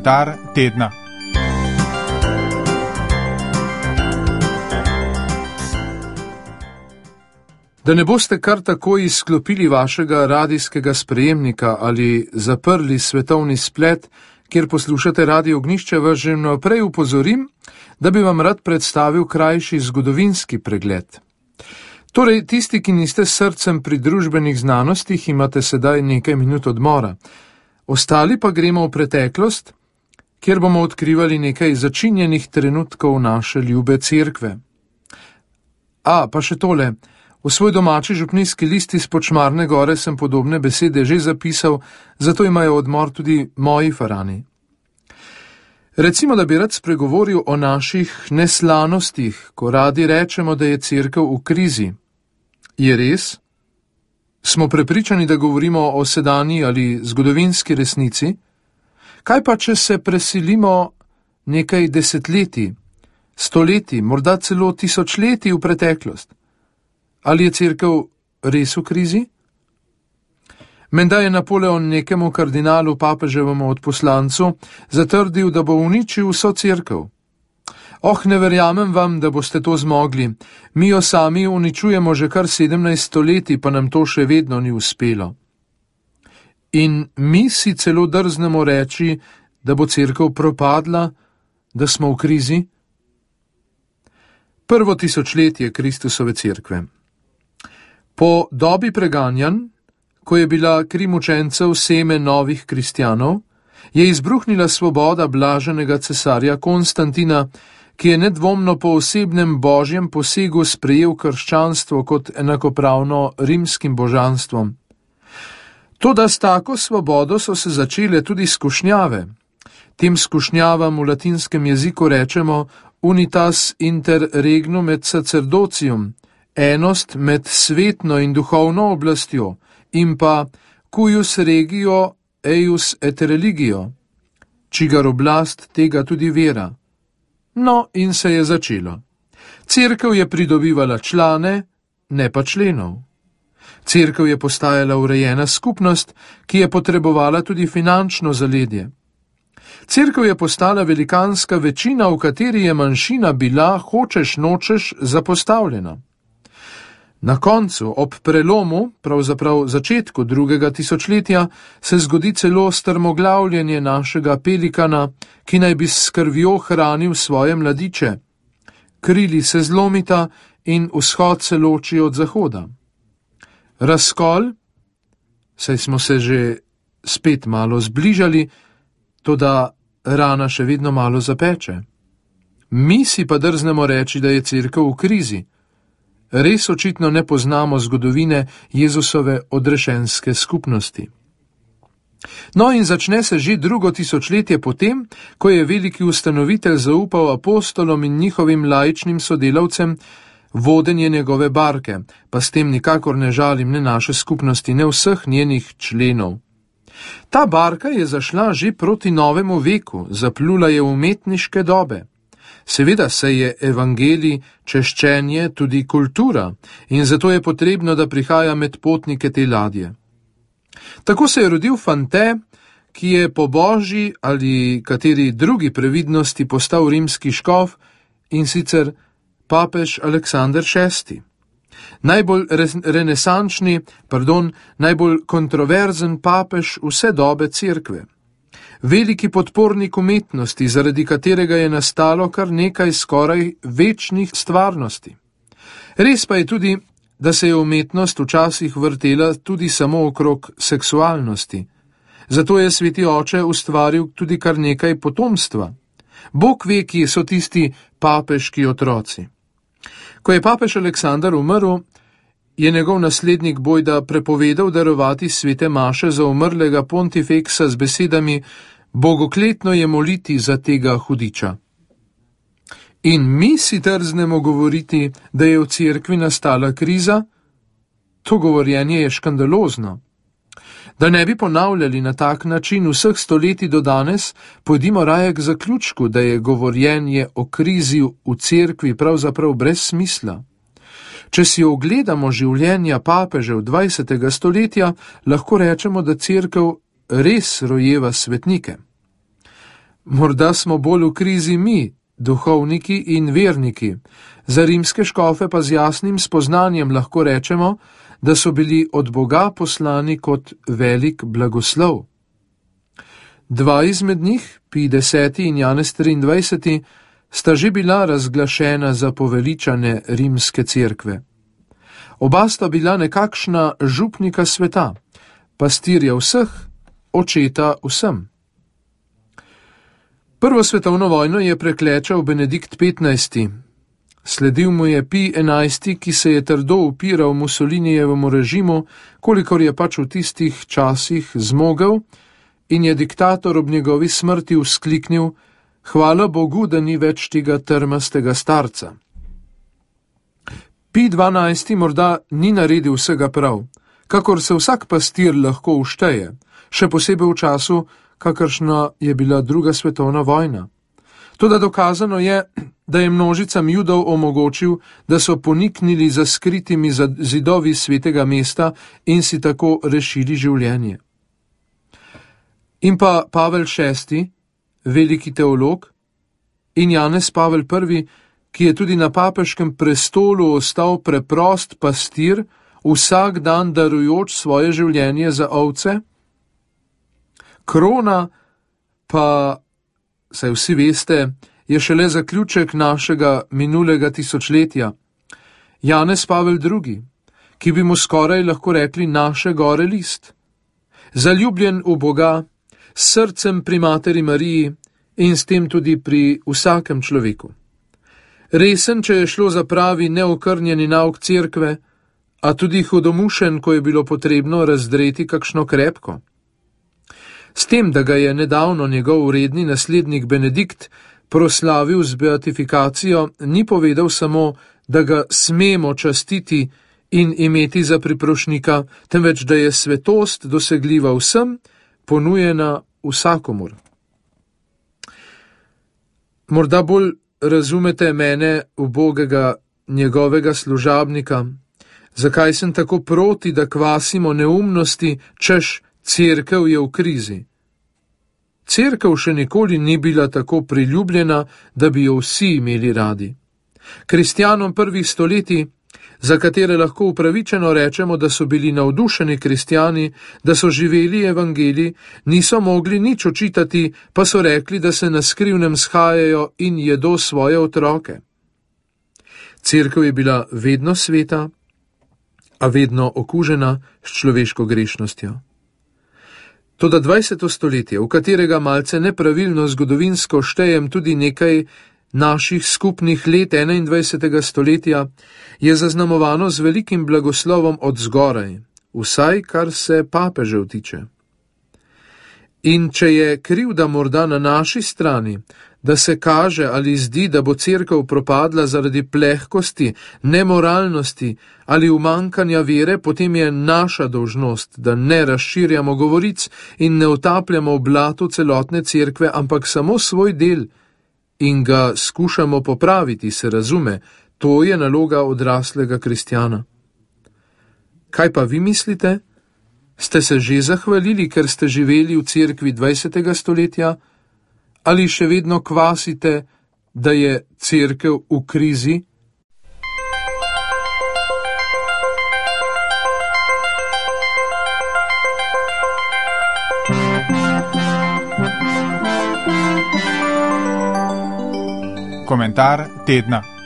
Komentar tedna. Da ne boste kar tako izklopili vašega radijskega sprejemnika ali zaprli svetovni splet, kjer poslušate Radio Ognjišče, vas že naprej upozorim, da bi vam rad predstavil krajši zgodovinski pregled. Torej, tisti, ki niste s srcem pri družbenih znanostih, imate sedaj nekaj minut odmora. Ostali pa gremo v preteklost, kjer bomo odkrivali nekaj začinjenih trenutkov naše ljube cerkve. Pa še tole. V svoj domači župnijski list iz Počmarne gore sem podobne besede že zapisal, zato imajo odmor tudi moji farani. Recimo, da bi rad spregovoril o naših neslanostih, ko radi rečemo, da je cerkev v krizi. Je res? Smo prepričani, da govorimo o sedanji ali zgodovinski resnici? Kaj pa, če se preselimo nekaj desetletij, stoletij, morda celo tisočletij v preteklost? Ali je cerkev res v krizi? Menda je Napoleon nekemu kardinalu, papeževemu odposlancu, zatrdil, da bo uničil vso cerkev. Ne verjamem vam, da boste to zmogli. Mi jo sami uničujemo že kar 17 stoletij, pa nam to še vedno ni uspelo. In mi si celo drznemo reči, da bo cerkev propadla, da smo v krizi? Prvo tisočletje Kristusove cerkve. Po dobi preganjanj, ko je bila kri mučencev seme novih kristjanov, je izbruhnila svoboda blaženega cesarja Konstantina, ki je nedvomno po osebnem božjem posegu sprejel krščanstvo kot enakopravno rimskim božanstvom. Toda s tako svobodo so se začele tudi skušnjave. Tem skušnjavam v latinskem jeziku rečemo unitas inter regnum et sacerdocium, enost med svetno in duhovno oblastjo, in pa cuius regio eius et religio, čigar oblast tega tudi vera. In se je začelo. Cerkev je pridobivala člane, ne pa členov. Cerkev je postajala urejena skupnost, ki je potrebovala tudi finančno zaledje. Cerkev je postala velikanska večina, v kateri je manjšina bila, hočeš nočeš, zapostavljena. Na koncu, ob prelomu, pravzaprav začetku 2. tisočletja, se zgodi celo strmoglavljenje našega pelikana, ki naj bi s krvjo hranil svoje mladiče. Krili se zlomita in vzhod se loči od zahoda. Razkol, saj smo se že spet malo zbližali, toda rana še vedno malo zapeče. Mi si pa drznemo reči, da je cerkev v krizi. Res očitno ne poznamo zgodovine Jezusove odrešenske skupnosti. In začne se že 2. tisočletje potem, ko je veliki ustanovitelj zaupal apostolom in njihovim laičnim sodelavcem vodenje njegove barke, pa s tem nikakor ne žalim ne naše skupnosti, ne vseh njenih členov. Ta barka je zašla že proti novemu veku, zaplula je v umetniške dobe. Seveda se je evangelij, češčenje, tudi kultura in zato je potrebno, da prihaja med potnike te ladje. Tako se je rodil Fante, ki je po božji ali kateri drugi previdnosti postal rimski škof, in sicer papež Aleksander VI. Najbolj najbolj kontroverzen papež vse dobe cerkve. Veliki podpornik umetnosti, zaradi katerega je nastalo kar nekaj skoraj večnih stvarnosti. Res pa je tudi, da se je umetnost včasih vrtela tudi samo okrog seksualnosti. Zato je sveti oče ustvaril tudi kar nekaj potomstva. Bog ve, kje so tisti papeški otroci. Ko je papež Aleksander umrl, je njegov naslednik bojda prepovedal darovati svete maše za umrlega pontifeksa z besedami: bogokletno je moliti za tega hudiča. In mi si trznemo govoriti, da je v cerkvi nastala kriza? To govorjenje je škandalozno. Da ne bi ponavljali na tak način vseh stoletij do danes, pojdimo raje k zaključku, da je govorjenje o krizi v cerkvi pravzaprav brez smisla. Če si ogledamo življenja papežev 20. stoletja, lahko rečemo, da cerkev res rojeva svetnike. Morda smo bolj v krizi mi, duhovniki in verniki, za rimske škofe pa z jasnim spoznanjem lahko rečemo, da so bili od Boga poslani kot velik blagoslov. Dva izmed njih, Pij X in Janez 23, sta že bila razglašena za poveličane rimske cerkve. Oba sta bila nekakšna župnika sveta, pastirja vseh, očeta vsem. Prvo svetovno vojno je preklečal Benedikt XV. Sledil mu je Pij XI, ki se je trdo upiral Mussolinijevemu režimu, kolikor je pač v tistih časih zmogel, in je diktator ob njegovi smrti vzkliknil: hvala Bogu, da ni več tega trmastega starca. Pij XII morda ni naredil vsega prav, kakor se vsak pastir lahko všteje, še posebej v času, kakršna je bila druga svetovna vojna. Toda dokazano je, da je množicam Judov omogočil, da so poniknili za skritimi zidovi svetega mesta in si tako rešili življenje. In pa Pavel VI, veliki teolog, in Janez Pavel I, ki je tudi na papeškem prestolu ostal preprost pastir, vsak dan darujoč svoje življenje za ovce. Krona pa, saj vsi veste, je šele zaključek našega minulega tisočletja. Janez Pavel II, ki bi mu skoraj lahko rekli naše gore list. Zaljubljen v Boga, s srcem pri Materi Mariji in s tem tudi pri vsakem človeku. Resen, če je šlo za pravi neokrnjeni nauk cerkve, a tudi hudomušen, ko je bilo potrebno razdreti kakšno krepko. S tem, da ga je nedavno njegov uredni naslednik Benedikt proslavil z beatifikacijo, ni povedal samo, da ga smemo častiti in imeti za priprošnika, temveč da je svetost dosegljiva vsem, ponujena vsakomur. Morda bolj razumete mene, ubogega njegovega služabnika, zakaj sem tako proti, da kvasimo neumnosti, češ cerkev je v krizi. Cerkev še nikoli ni bila tako priljubljena, da bi jo vsi imeli radi. Kristjanom prvih stoletij, za katere lahko upravičeno rečemo, da so bili navdušeni kristjani, da so živeli evangelij, niso mogli nič očitati, pa so rekli, da se na skrivnem shajajo in jedo svoje otroke. Cerkev je bila vedno sveta, a vedno okužena s človeško grešnostjo. Toda 20. stoletje, v katerega malce nepravilno zgodovinsko štejem tudi nekaj naših skupnih let 21. stoletja, je zaznamovano z velikim blagoslovom od zgoraj, vsaj kar se papežev tiče. In če je krivda morda na naši strani, da se kaže ali zdi, da bo cerkev propadla zaradi plehkosti, nemoralnosti ali umankanja vere, potem je naša dolžnost, da ne razširjamo govoric in ne utapljamo v blatu celotne cerkve, ampak samo svoj del in ga skušamo popraviti, se razume, to je naloga odraslega kristjana. Kaj pa vi mislite? Ste se že zahvalili, ker ste živeli v cerkvi 20. stoletja? Ali še vedno kvasite, da je cerkev v krizi? Komentar tedna.